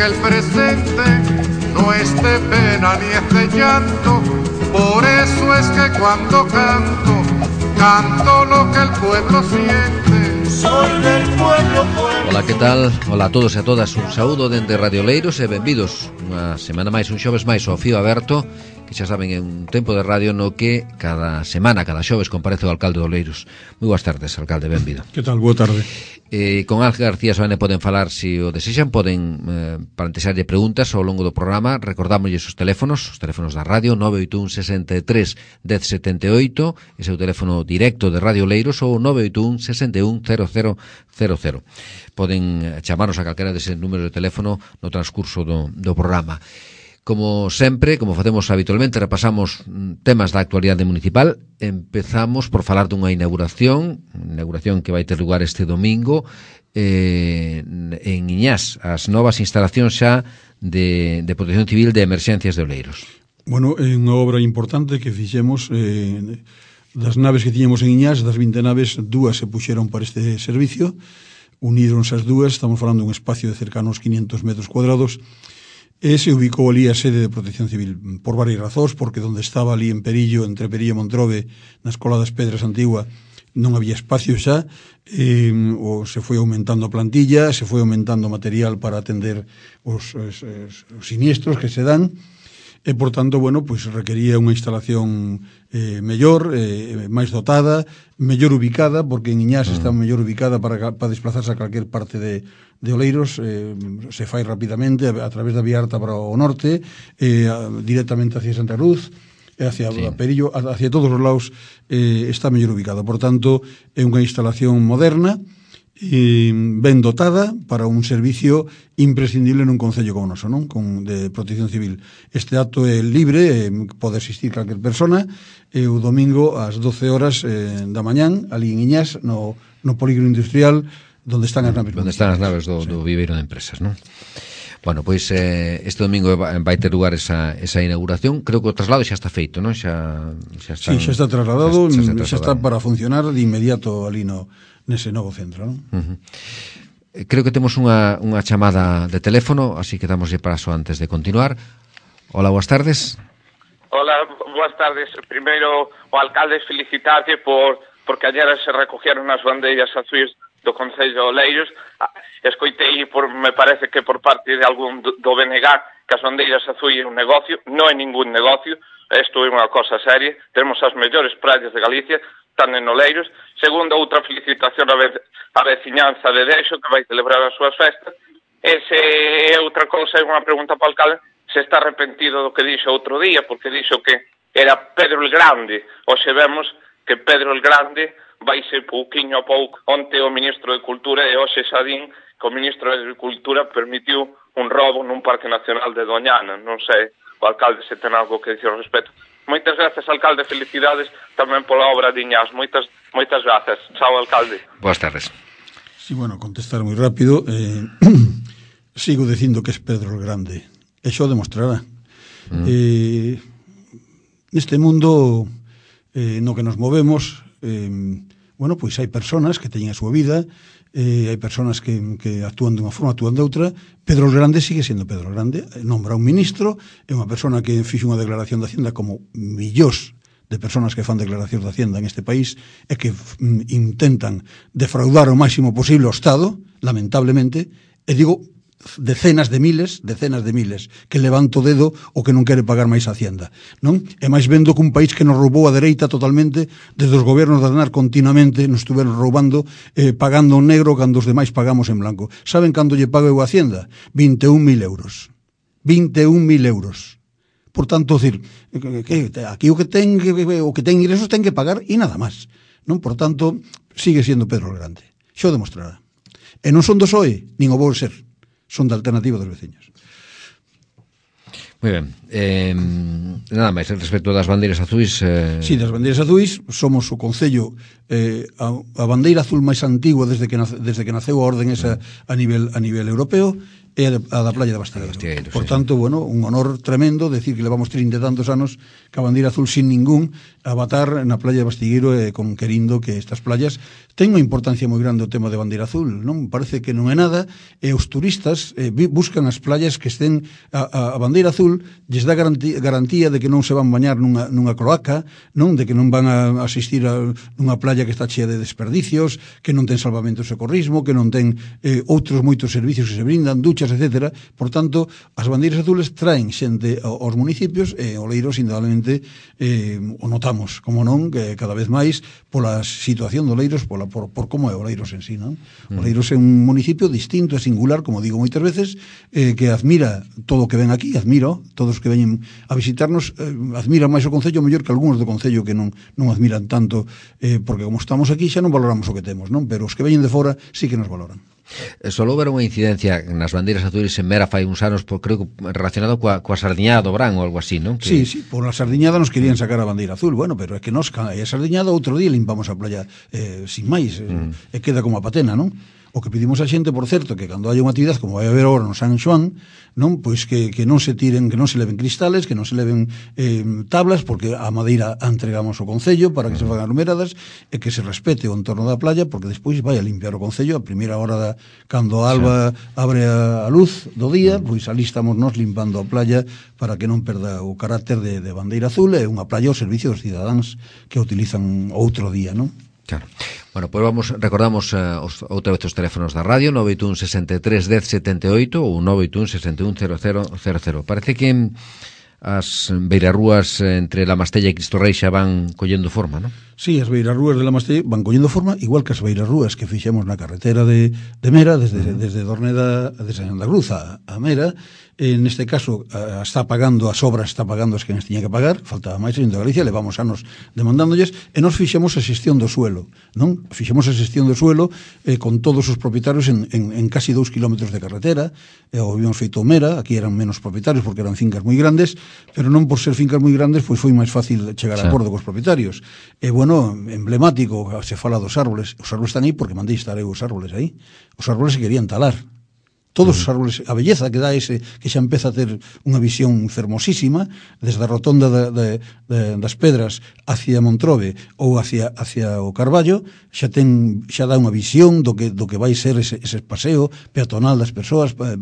que el presente no es de pena ni es de llanto. Por eso es que cuando canto, canto lo que el pueblo siente. Soy del pueblo, pueblo. Ola, que tal? Ola a todos e a todas. Un saúdo dende Radio Oleiros e benvidos unha semana máis, un xoves máis ao Fío Aberto, que xa saben é un tempo de radio no que cada semana, cada xoves comparece o alcalde de Oleiros. Moi boas tardes, alcalde, benvido. Que tal? Boa tarde. Con Ángel García Soane poden falar, se o desexan, poden plantexarlle preguntas ao longo do programa. Recordámoslle os teléfonos da radio, 981 63 1078, ese é o teléfono directo de Radio Oleiros, ou 981 61 0000. Poden chamarnos a calquera deses números de teléfono no transcurso do programa. Como sempre, como facemos habitualmente, repasamos temas da actualidade municipal. Empezamos por falar dunha inauguración que vai ter lugar este domingo en Iñás, as novas instalacións xa de Protección Civil de Emerxencias de Oleiros. Bueno, é unha obra importante que fixemos das naves que tiñemos en Iñás, das 20 naves, dúas se puxeron para este servicio, unironse as dúas, estamos falando de un espacio de cerca anos 500 metros cuadrados. E se ubicou ali a sede de Protección Civil por varias razóns, porque onde estaba ali en Perillo, entre Perillo e Montrobe, na Escola das Pedras Antigua, non había espacio xa, ou se foi aumentando a plantilla, se foi aumentando o material para atender os siniestros que se dan, e, por tanto, bueno, pois requería unha instalación mellor, máis dotada, mellor ubicada, porque en Iñás está mellor ubicada para desplazarse a calquer parte de Oleiros, se fai rapidamente a través da Vía Alta para o norte, directamente hacia Santa Cruz, hacia Perillo, hacia todos os lados está mellor ubicada. Por tanto, é unha instalación moderna, ben dotada para un servicio imprescindible nun concello como o noso, non? De Protección Civil. Este acto é libre, pode asistir calquer persona, e o domingo ás 12 horas da mañán, ali en Iñás, no polígono industrial, onde están as naves. Onde están as naves do viveiro de empresas, non? Bueno, pois este domingo vai ter lugar esa inauguración. Creo que o traslado xa está feito, non? Xa está trasladado, xa está para funcionar de inmediato ali nese novo centro, non? Creo que temos unha chamada de teléfono, así que damoslle paso antes de continuar. Hola, boas tardes. Hola, boas tardes. Primeiro, o alcalde felicitarlle porque ayer se recogieron as bandeiras azuis do Concello de Oleiros. Escoitei, me parece que por parte de algún do BNG, que as bandeiras azuis é un negocio. Non é ningún negocio, isto é unha cosa seria. Temos as mellores praias de Galicia, están en Oleiros. Segundo, outra felicitación a veciñanza de Dexo, que vai celebrar as súas festas. Ese é outra cousa, é unha pregunta para o alcalde, se está arrepentido do que dixo outro día, porque dixo que era Pedro el Grande. Hoxe vemos que Pedro el Grande vaise pouquiño a pouco. Onte o ministro de Cultura e hoxe xa din que o ministro de Agricultura permitiu un robo nun parque nacional de Doñana. Non sei, o alcalde se ten algo que dicir ao respecto. Moitas gracias, alcalde, felicidades tamén pola obra de Iñás. Moitas gracias. Chao, alcalde. Boas tardes. Sí, bueno, contestar moi rápido. Sigo dicindo que es Pedro el Grande. E xo demostrará. Neste mundo no que nos movemos, bueno, pois hai personas que teñen a súa vida, hai personas que actúan dunha forma, actúan de outra. Pedro el Grande sigue sendo Pedro el Grande, nombra un ministro, é unha persona que fixo unha declaración de Hacienda como millóns de personas que fan declaracións de Hacienda en este país e que intentan defraudar o máximo posible o Estado, lamentablemente, e digo decenas de miles que levanta o dedo o que non quere pagar máis Hacienda, non? E máis vendo que un país que nos roubou a dereita totalmente, desde os gobernos de Aznar continuamente nos estuveron roubando, pagando en negro cando os demais pagamos en blanco. Saben cando lle paga eu a Hacienda? 21.000 euros. 21.000 euros. Por tanto, decir, aquí o que ten ingresos ten que pagar e nada máis, non? Por tanto, sigue sendo Pedro el Grande. Xo demostrará. E non son do PSOE, nin o vou ser. Son da Alternativa dos Veciños. Moi ben. Nada máis, respecto das bandeiras azuis... Sí, das bandeiras azuis, somos o Concello, a bandeira azul máis antigua desde que naceu a orden esa a nivel europeo, é a da playa de Bastigueiro. Por tanto, bueno, un honor tremendo decir que levamos 30 e tantos anos ca bandeira azul sin ningún avatar na playa de Bastigueiro con querindo que estas playas ten unha importancia moi grande o tema de bandeira azul, non? Parece que non é nada, e os turistas buscan as playas que estén a bandeira azul, lles dá garantía de que non se van bañar nunha cloaca, non? De que non van a asistir a nunha playa que está chea de desperdicios, que non ten salvamento e socorrismo, que non ten outros moitos servicios que se brindan, duchas, etc. Por tanto, as bandeiras azules traen xente aos municipios e Oleiros, indudablemente, o notamos, como non, que cada vez máis pola situación de Oleiros, por como é Oleiros en sí, non? Oleiros é un municipio distinto e singular, como digo moitas veces, que admira todo o que ven aquí, admiro todos os que veñen a visitarnos, admira máis o Concello mellor que algúns do Concello que non admiran tanto, porque como estamos aquí xa non valoramos o que temos, non? Pero os que veñen de fora sí que nos valoran. Solo houve unha incidencia nas bandeiras azules en Mera fai uns anos, creo que relacionado coa sardiñada do Brán ou algo así, non? Sí, por a sardiñada nos querían sacar a bandeira azul, bueno, pero é que nos a sardiñada outro día limpamos a playa sin máis, e queda como a patena, non? O que pedimos a xente, por certo, que cando haya unha actividade como vai haber agora no San Xoán, non, pois que non se tiren, que non se leven cristales, que non se leven tablas, porque a madeira a entregamos ao Concello para que se fagan numeradas, e que se respete o entorno da playa, porque despois vai a limpiar o Concello a primeira hora cando a alba abre a luz do día, pois ali estamos nos limpando a playa para que non perda o carácter de bandeira azul, e unha playa ao servicio dos cidadáns que a utilizan outro día, non? Claro. Bueno, pois recordamos outra vez os teléfonos da radio, 981 63 10 78 ou 981 61 0000. Parece que as beirarrúas entre La Mastella e Cristo Rei xa van collendo forma, non? Sí, as beirarrúas de La Mastella van collendo forma, igual que as beirarrúas que fixemos na carretera de Mera, desde Dorneda, desde Santa Cruz a Mera. Neste caso está pagando as obras, está pagando as que nos tiña que pagar, faltaba máis en Galicia, levamos anos demandándolles, e nos fixemos a xestión do suelo, non? Fixemos a xestión do suelo con todos os propietarios en casi 2 kilómetros de carretera, o habíamos feito Mera, aquí eran menos propietarios porque eran fincas moi grandes, pero non por ser fincas moi grandes, pois foi máis fácil chegar a acordo cos propietarios. E bueno, emblemático, se fala dos árboles están aí porque mandei estar os árboles aí, os árboles se querían talar. Todos os árboles, a belleza que dá ese, que xa empeza a ter unha visión fermosísima, desde a rotonda das Pedras hacia Montrobe ou hacia o Carballo, xa dá unha visión do que vai ser ese paseo peatonal das persoas para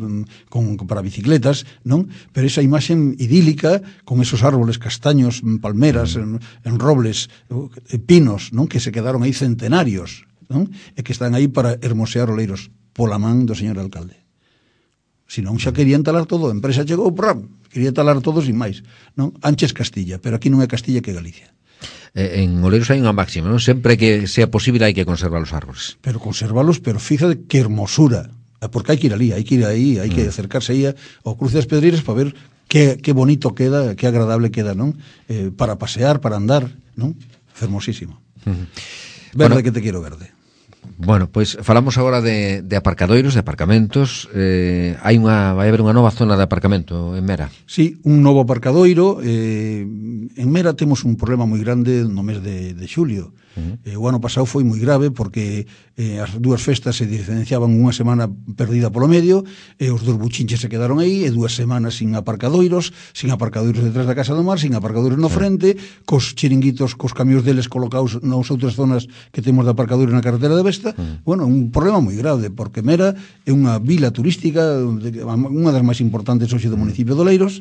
bicicletas, non? Pero esa imaxen idílica con esos árboles castaños, palmeras, en robles, pinos, non? Que se quedaron aí centenarios, non? E que están aí para hermosear Oleiros pola man do señor alcalde. Senón xa querían talar todo, a empresa chegou, quería talar todo sin máis, non? Anches Castilla, pero aquí non é Castilla que Galicia. En Oleiros hai unha máxima, non? Sempre que sea posible hai que conservar os árboles. Pero conservalos, pero fíjate que hermosura, porque hai que ir ali, hai que acercarse aí ao Cruce das Pedreiras para ver que bonito queda, que agradable queda, non? Para pasear, para andar, non? Fermosísimo. Verde, que te quiero verde. Bueno, pois falamos agora de aparcadoiros, de aparcamentos. Vai haber unha nova zona de aparcamento en Mera. Sí, un novo aparcadoiro. En Mera temos un problema moi grande no mes de xulio. O ano pasado foi moi grave porque as dúas festas se diferenciaban unha semana perdida polo medio, e os dos buchinches se quedaron aí, e 2 semanas sin aparcadoiros detrás da Casa do Mar, sin aparcadoiros no frente, cos chiringuitos, cos camións deles colocados nas outras zonas que temos de aparcadoiros na carretera de Vesta. Bueno, un problema moi grave, porque Mera é unha vila turística, unha das máis importantes hoxe do municipio de Oleiros,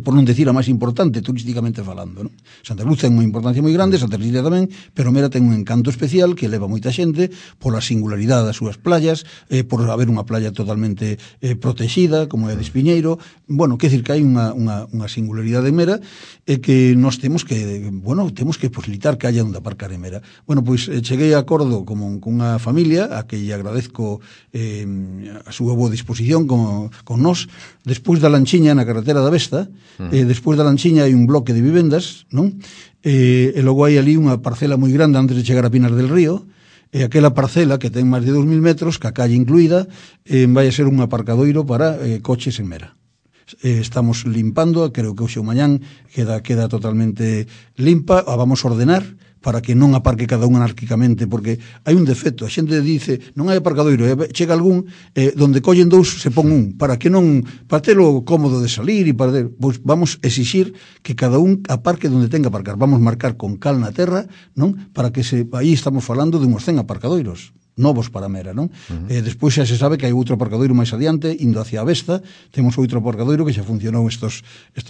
por non decir a máis importante turísticamente falando, non? Santa Cruz ten unha importancia moi grande, Santa Cecilia tamén, pero Mera ten un encanto especial que leva moita xente pola singularidade das súas playas, por haber unha playa totalmente protexida, como é a de Espiñeiro. Bueno, quer decir que hai unha singularidade en Mera, e que nós temos que posibilitar que haya onde aparcar en Mera. Bueno, pois cheguei a acordo con unha familia a que lle agradezco a súa boa disposición con nós, despois da lanchiña na carretera da Vesta. Despois da lanchiña hai un bloque de vivendas, non? E logo hai ali unha parcela moi grande antes de chegar a Pinar del Río, e aquela parcela que ten máis de 2.000 metros, ca calle incluída, vai a ser un aparcadoiro para coches en Mera. Estamos limpando, creo que hoxe o mañán queda totalmente limpa, a vamos a ordenar para que non aparque cada un anárquicamente, porque hai un defecto, a xente dice, non hai aparcadoiro, chega algún donde collen dous se pon un, para que non, para telo cómodo de salir e para pois vamos exixir que cada un aparque donde tenga aparcar, vamos marcar con cal na terra, non? Para que aí estamos falando de uns 100 aparcadoiros novos para Mera, non? Despois xa se sabe que hai outro aparcadoiro máis adiante, indo hacia a Vesta, temos outro aparcadoiro que xa funcionou estos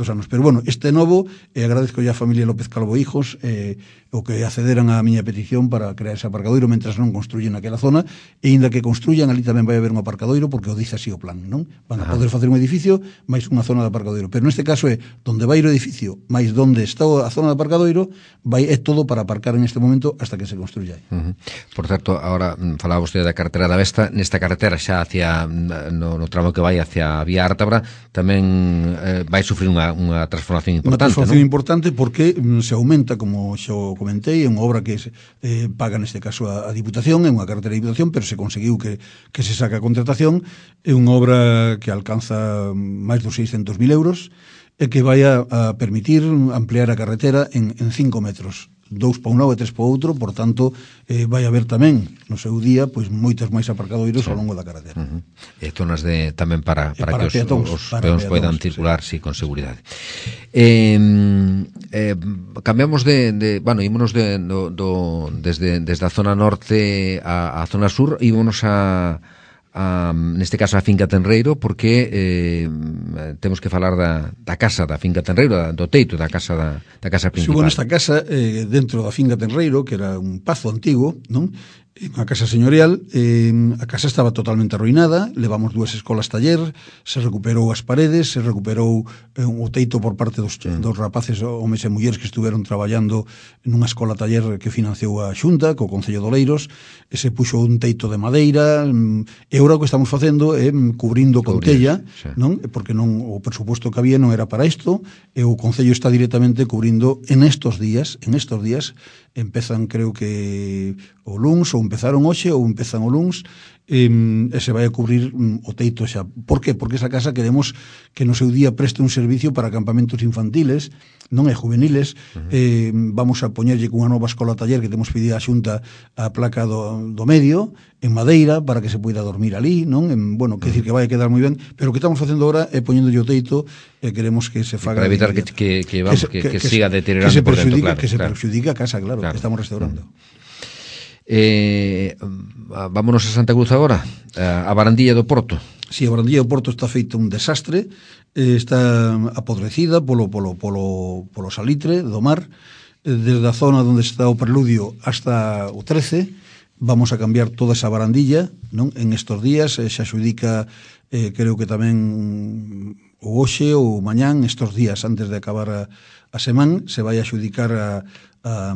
anos. Pero, bueno, este novo, agradezco a familia López Calvo Hijos, o que accederan á miña petición para crear ese aparcadoiro mentras non construyen aquela zona, e inda que construyan, ali tamén vai haber un aparcadoiro, porque o dice así o plan, non? Van a poder facer un edificio máis unha zona de aparcadoiro. Pero neste caso é donde vai o edificio, máis donde está a zona de aparcadoiro, é todo para aparcar en este momento hasta que se construya aí. Por certo, agora falaba vostede da carretera da Vesta, nesta carretera xa hacia no tramo que vai hacia a Vía Ártabra tamén vai sufrir unha transformación importante, unha transformación importante porque se aumenta, como xa comentei, é unha obra que paga neste caso a Diputación, é unha carretera de Diputación, pero se conseguiu que se saca a contratación, é unha obra que alcanza máis dos 600.000 euros e que vai a permitir ampliar a carretera en 5 metros. 2 para un lado e 3 para o outro, por tanto, vai haber tamén, no seu día, pois moitas máis aparcadoiros ao longo da carretera. E zonas tamén para que os peóns poidan circular, sí, con seguridade. Cambiamos bueno, ímonos desde a zona norte a zona sur, ímonos neste caso a Finca Tenreiro, porque temos que falar da casa da Finca Tenreiro, do teito da casa principal. Subo nesta casa, dentro da Finca Tenreiro, que era un pazo antigo, non? Unha casa señorial, a casa estaba totalmente arruinada, levamos 2 escolas taller, se recuperou as paredes, se recuperou o teito por parte dos rapaces, homes e mulleres que estuveron traballando nunha escola taller que financiou a Xunta, co Concello de Oleiros, e se puxo un teito de madeira, e agora o que estamos facendo é cubrindo con tella, non? Porque non o presuposto que había non era para isto, e o Concello está directamente cubrindo en estos días, empezan, creo que o luns, ou empezaron hoxe, ou empezan o luns, e se vai a cubrir o teito xa. Por que? Porque esa casa queremos que no seu día preste un servicio para campamentos infantiles, non é juveniles. Vamos a poñerlle cunha nova escola taller que temos pedido a Xunta a placa do medio, en madeira, para que se poida dormir ali, non? Bueno, que decir que vai a quedar moi ben, pero o que estamos facendo agora é poñéndolle o teito, e queremos que se faga... Para evitar que siga deteriorando por dentro, claro. Que se perxudique a casa, claro, que estamos restaurando. Vámonos a Santa Cruz agora, a Barandilla do Porto. Si, a Barandilla do Porto está feito un desastre, está apodrecida polo salitre do mar, desde a zona onde está o preludio hasta o 13, vamos a cambiar toda esa barandilla, non? En estos días se adxudica, creo que tamén o hoxe ou mañán, estos días antes de acabar a semana, se vai a adxudicar a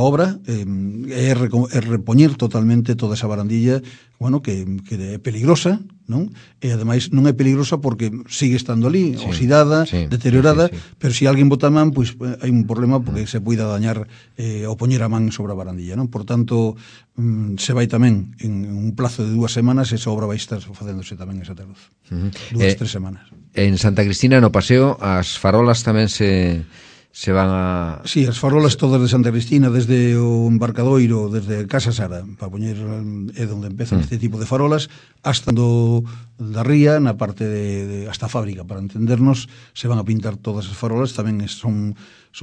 obra, é repoñer totalmente toda esa barandilla, bueno, que é peligrosa, non? E ademais non é peligrosa porque sigue estando ali, oxidada, deteriorada, pero se alguén bota a man, pois hai un problema porque se poida dañar ou poñer a man sobre a barandilla, non? Por tanto, se vai tamén en un plazo de 2 semanas, esa obra vai estar facéndose tamén en Santa Cruz. 2-3 semanas. En Santa Cristina, no paseo, as farolas tamén se van a... Sí, as farolas todas de Santa Cristina, desde o embarcadoiro, desde Casa Sara, para poñer, é onde empezan este tipo de farolas, hasta da ría, na parte hasta a fábrica, para entendernos, se van a pintar todas as farolas, tamén son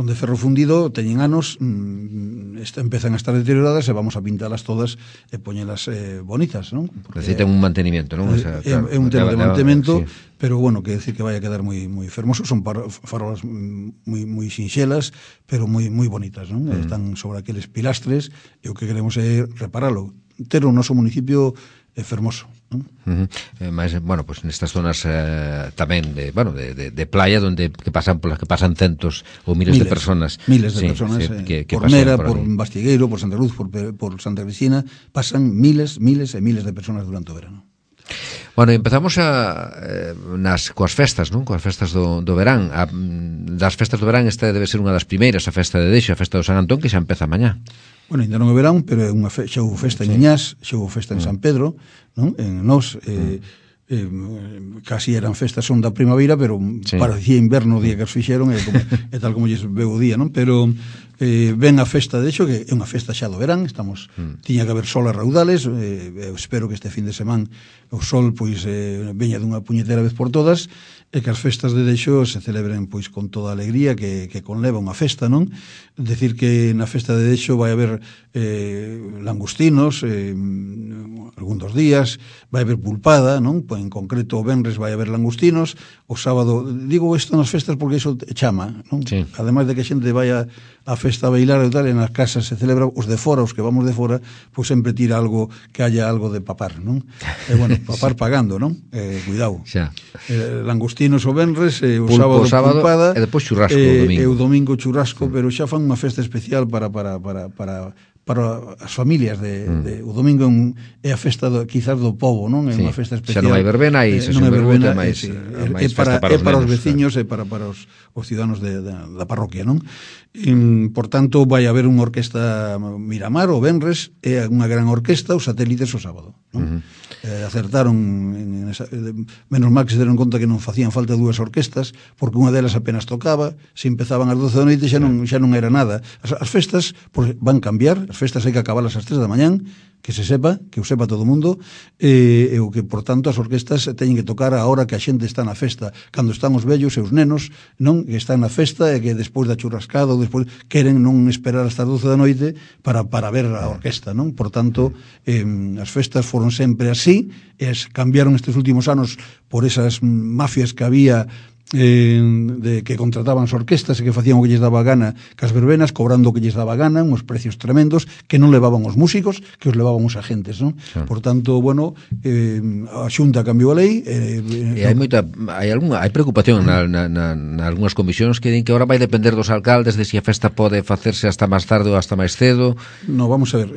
de ferro fundido, teñen anos, empezan a estar deterioradas, e vamos a pintalas todas e poñelas bonitas, non? Necesitan un mantenimiento, non? É un tema de mantenimento, pero bueno, que decir que vai a quedar moi fermoso, son farolas moi sinxelas, pero moi bonitas, non? Están sobre aqueles pilastres, e o que queremos é reparalo, ter o noso municipio fermoso, non? Mas, bueno, pues nestas zonas tamén de playa, onde polas que pasan centos ou miles de personas. Miles de personas, por Mera, por Bastigueiro, por Santa Cruz, por Santa Cristina, pasan miles e miles de personas durante o verano. Bueno, empezamos coas festas, non? Coas festas do verán. Das festas do verán, esta debe ser unha das primeiras, a festa de Deixo, a festa do San Antón, que xa empeza mañá. Bueno, ainda non é verán, pero xa houve festa en Iñás, xa houve festa en San Pedro, non? En nós, casi eran festas son da primavera, pero parecía inverno o día que as fixeron, e tal como lles veu o día, non? Pero ven a festa, de hecho, que é unha festa xa do verán, tiña que haber sol a raudales, espero que este fin de semana o sol pois veña dunha puñetera vez por todas, e que as festas de Dexo se celebren pois con toda a alegría que conleva unha festa, non? Decir que na festa de Dexo vai haber langostinos algún dos días, vai haber pulpada, non? Pois en concreto o venres vai haber langostinos, o sábado, digo isto nas festas porque iso chama, non? Sí. Ademais de que a xente vai a festa a bailar e tal, e nas casas se celebra, os de fora, os que vamos de fora, pois sempre tira algo, que haya algo de papar, non? E bueno, papar pagando, non? Cuidado. Xa. Langostinos o venres, o Pulpo sábado pulpada, e depois churrasco o domingo. E o domingo churrasco, pero xa fan unha festa especial para as familias o domingo é a festa quizás do pobo, non? É unha festa especial. Xa non hai verbena e non hai verbena, máis festa para os veciños e para os ciudadanos da parroquia, non? Por tanto, vai haber unha orquesta Miramar o venres, é unha gran orquesta, os satélites o sábado, non? Acertaron menos mal que se deron conta que non facían falta dúas orquestas, porque unha delas apenas tocaba, se empezaban ás 12 da noite xa non era nada. As festas van cambiar, as festas hai que acabalas ás 3 da mañán, que o sepa todo o mundo, e o que, por tanto, as orquestas teñen que tocar a hora que a xente está na festa, cando están os vellos e os nenos, non? Que están na festa e que despois da churrascada despois queren non esperar hasta as 12 da noite para ver a orquesta, non? Por tanto, as festas foron sempre así, e cambiaron estes últimos anos por esas mafias que había de que contrataban as orquestas e que facían o que lles daba gana cas verbenas, cobrando o que lles daba gana, uns precios tremendos que non levaban os músicos, que os levaban os agentes, non? Sí. Por tanto, bueno, a Xunta cambiou a lei e hai preocupación na algunhas comisións que din que ahora vai depender dos alcaldes de se a festa pode facerse hasta máis tarde ou hasta máis cedo. No, vamos a ver,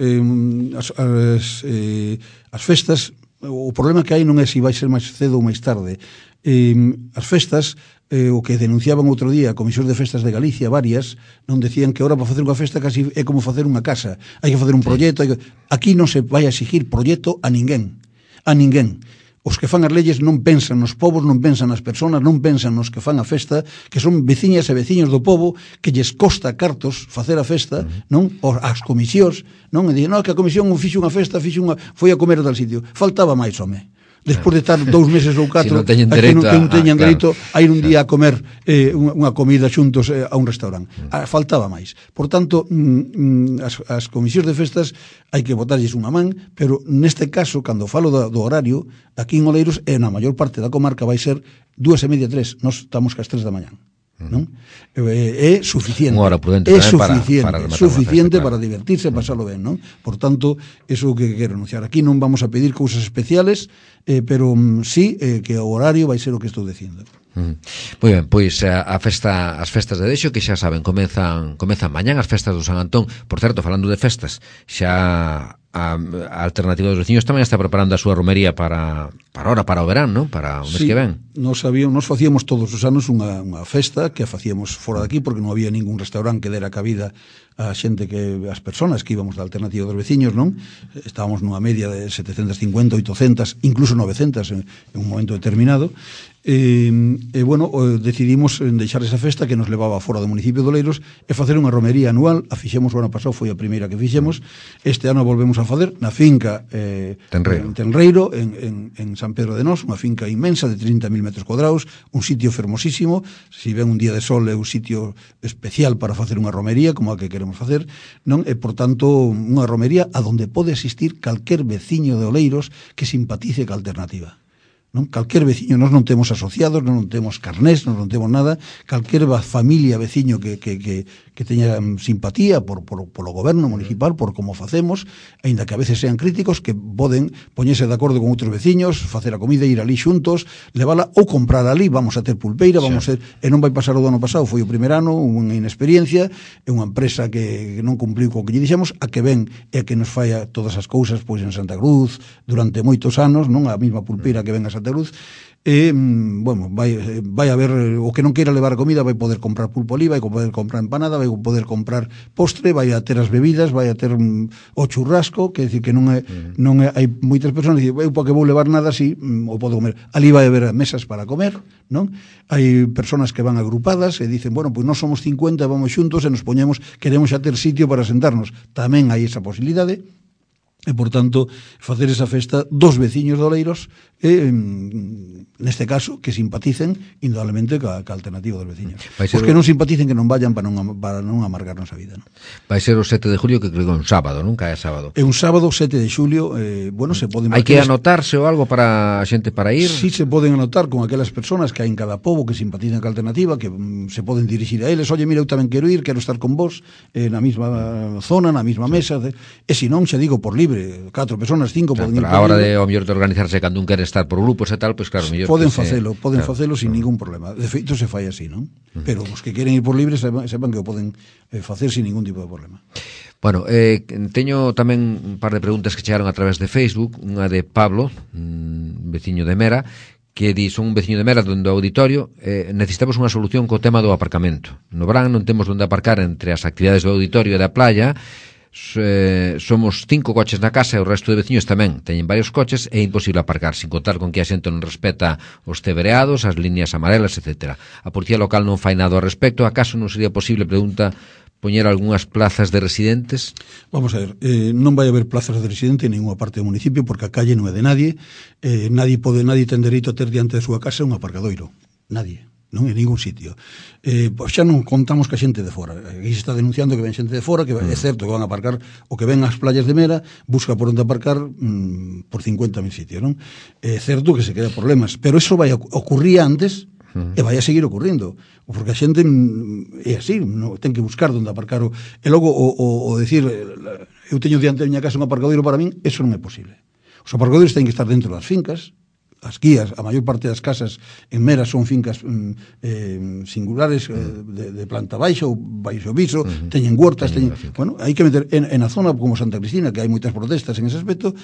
as festas, o problema que hai non é se vai ser máis cedo ou máis tarde. As festas, o que denunciaban outro día a Comisión de Festas de Galicia, varias, non decían que ahora para facer unha festa casi é como facer unha casa, hai que facer un proxecto, aquí non se vai a exigir proxecto a ninguén. Os que fan as leyes non pensan nos povos, non pensan nas persoas, non pensan nos que fan a festa, que son veciñas e veciños do povo, que lles costa cartos facer a festa, non? As comisións, non? E dicen, non, que a comisión fixo unha festa, foi a comer a tal sitio. Faltaba máis, home. Despois de estar 2 meses ou 4 si non teñen dereito a ir un día a comer unha comida xuntos a un restaurante. Faltaba máis. Por tanto, as comisións de festas hai que botarlles unha man, pero neste caso, cando falo do horario, aquí en Oleiros, e na maior parte da comarca vai ser 2:30, 3. Nós estamos cas 3 da mañán. Non? É suficiente. Unha hora prudente é suficiente para divertirse, pasarlo ben, non? Por tanto, eso é o que quero anunciar. Aquí non vamos a pedir cousas especiales, pero sí que o horario vai ser o que estou dicindo. Moi ben, pois as festas de Dexo, que xa saben, comezan mañán as festas do San Antón. Por certo, falando de festas, xa a Alternativa dos Veciños tamén está preparando a súa romería para o verán, non? Para o mes que ven. Nos facíamos todos os anos unha festa que a facíamos fora daqui porque non había ningún restaurante que dera cabida a xente as persoas que íbamos da Alternativa dos Veciños, non? Estábamos nunha media de 750, 800, incluso 900 en un momento determinado. Bueno, decidimos deixar esa festa que nos levaba fora do municipio de Oleiros e facer unha romería anual. A fixemos o ano pasado, foi a primeira que fixemos. Este ano volvemos a facer na finca Tenreiro, en San Pedro de Nós, unha finca inmensa de 30.000 metros cuadrados, un sitio fermosísimo. Se ven un día de sol é un sitio especial para facer unha romería como a que queremos facer, non? E, por tanto, unha romería a donde pode asistir calquer veciño de Oleiros que simpatice ca Alternativa. Non? Calquer veciño, nós non temos asociados, non temos carnés, non temos nada, calquer familia, veciño que teña simpatía por o goberno municipal, por como facemos, aínda que a veces sean críticos, que poden poñerse de acordo con outros veciños, facer a comida, ir ali xuntos, levala ou comprar ali, vamos a ter pulpeira, e non vai pasar o do ano pasado, foi o primer ano, unha inexperiencia, é unha empresa que non cumpliu co que lle dixemos, a que ven e a que nos falla todas as cousas pois en Santa Cruz durante moitos anos, non a mesma pulpeira que ven a Santa Cruz, bueno, vai haber o que non queira levar a comida vai poder comprar pulpo ali, vai poder comprar empanada, vai poder comprar postre, vai a ter as bebidas, vai a ter o churrasco, que decir que non hai moitas persoas que dicen, eu porque vou levar nada así, o podo comer. Ali vai haber mesas para comer, non? Hai persoas que van agrupadas e dicen, bueno, pois nós somos 50, vamos xuntos e nos poñemos, queremos xa ter sitio para sentarnos. Tamén hai esa posibilidade. E, por tanto, facer esa festa dos veciños de Oleiros neste caso, que simpaticen indudablemente ca alternativa dos veciños. Os que non simpaticen que non vayan para non amargarnos a vida, non? Vai ser o 7 de julio, que creo que é un sábado, non? Cae sábado. É un sábado, 7 de xulio, bueno, se poden... Hai que anotarse ou algo para a xente para ir? Sí, se poden anotar con aquelas persoas que hai en cada pobo que simpatizan ca alternativa, que se poden dirixir a eles, oye, mira, eu tamén quero ir, quero estar con vos na mesma zona, na mesma mesa, e se non, xa digo, por libre, 4 persoas, 5 poden ir por libre. A hora de, ao mellor, de organizarse cando un quere estar por grupos e tal, pois claro, mellor poden facelo sin ningún problema. De feito se fai así, non? Pero os que queren ir por libre sepan que o poden facer sin ningún tipo de problema. Bueno, teño tamén un par de preguntas que chegaron a través de Facebook, unha de Pablo, veciño de Mera, que di, son un veciño de Mera do auditorio, necesitamos unha solución co tema do aparcamento. No verán non temos onde aparcar entre as actividades do auditorio e da playa. Somos 5 coches na casa e o resto de veciños tamén teñen varios coches e é imposible aparcar, sin contar con que a xente non respeta os tebereados, as líneas amarelas, etc. A policía local non fai nada ao respecto. Acaso non sería posible, pregunta, poñer algunhas plazas de residentes? Vamos a ver, non vai haber plazas de residente en ninguna parte do municipio, porque a calle non é de nadie. Nadie ten dereito a ter diante da súa casa un aparcadoiro. Nadie. Non en ningún sitio. Pois xa non contamos ca xente de fora. Aquí se está denunciando que ven xente de fora, que é certo que van a aparcar, o que ven ás playas de Mera, busca por onde aparcar por 50.000 sitios, non? É certo que se queda problemas, pero eso vai ocurrir antes e vai a seguir ocurrindo, porque a xente é así, non ten que buscar onde aparcar, e logo o decir, eu teño diante da miña casa un aparcadoiro, para min, eso non é posible. Os aparcadoiros ten que estar dentro das fincas. As guías, a maior parte das casas en Mera son fincas singulares de planta baixa ou baixo piso, teñen huertas, bueno, hai que meter en a zona como Santa Cristina, que hai moitas protestas en ese aspecto,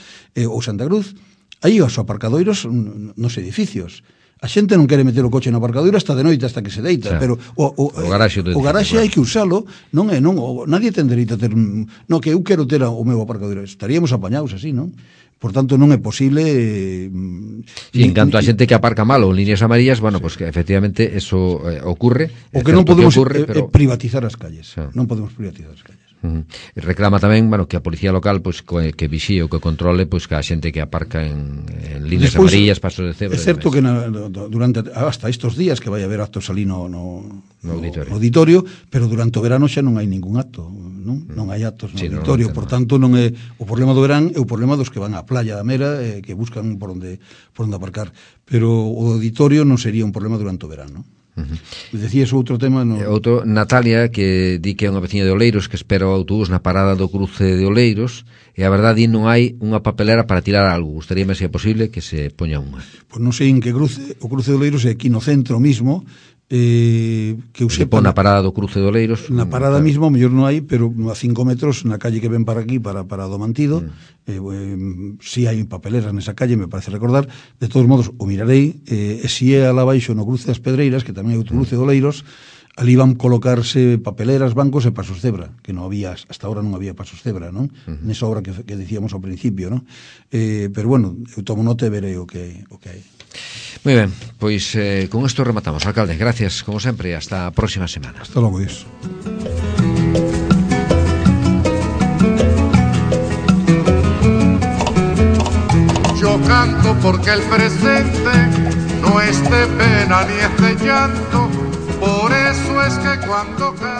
ou Santa Cruz, aí os aparcadoiros nos edificios. A xente non quere meter o coche no aparcadoiro hasta de noite, hasta que se deita, pero o garaxe hai que usalo, nadie ten dereito a ter, que eu quero ter o meu aparcadoiro, estaríamos apañados así, non? Por tanto, non é posible... Sí, en canto a xente que aparca mal ou líneas amarillas, bueno, pues que efectivamente eso ocurre. O que non podemos privatizar as calles. Non podemos privatizar as calles. Reclama tamén, bueno, que a policía local pues que vixíe ou que controle pues que a xente que aparca en líneas amarillas, pasos de cebra. É certo que durante hasta estos días que vai haber actos ali no auditorio, pero durante o verano xa non hai ningún acto, non hai actos no auditorio, por tanto non é o problema do verán, é o problema dos que van á playa da Mera, que buscan por onde aparcar, pero o auditorio non sería un problema durante o verano. Decías outro tema outro, Natalia, que di que é unha veciña de Oleiros que espera o autobús na parada do cruce de Oleiros e a verdade non hai unha papelera para tirar algo. Gustaríame se é posible que se poña unha. Pois non sei en que cruce, o cruce de Oleiros é aquí no centro mismo, que eu sepa na parada do cruce de Oleiros, na parada mismo, mellor non hai, pero a 5 metros na calle que ven para aquí, para do Mantido, si hai papeleras nesa calle, me parece recordar. De todos modos, o mirarei, e si é alá baixo no cruce das Pedreiras, que tamén é outro cruce de Oleiros, ali van colocarse papeleras, bancos e pasos cebra, que non había, hasta ahora non había pasos cebra, non? Nesa obra que dicíamos ao principio, non? Pero bueno, eu tomo nota e verei o que hai. Moi ben, pois con isto rematamos, alcalde. Gracias, como sempre, hasta a próxima semana. Hasta logo, Dios. Yo canto porque el presente no es de pena ni es de llanto, por eso es que cuando canto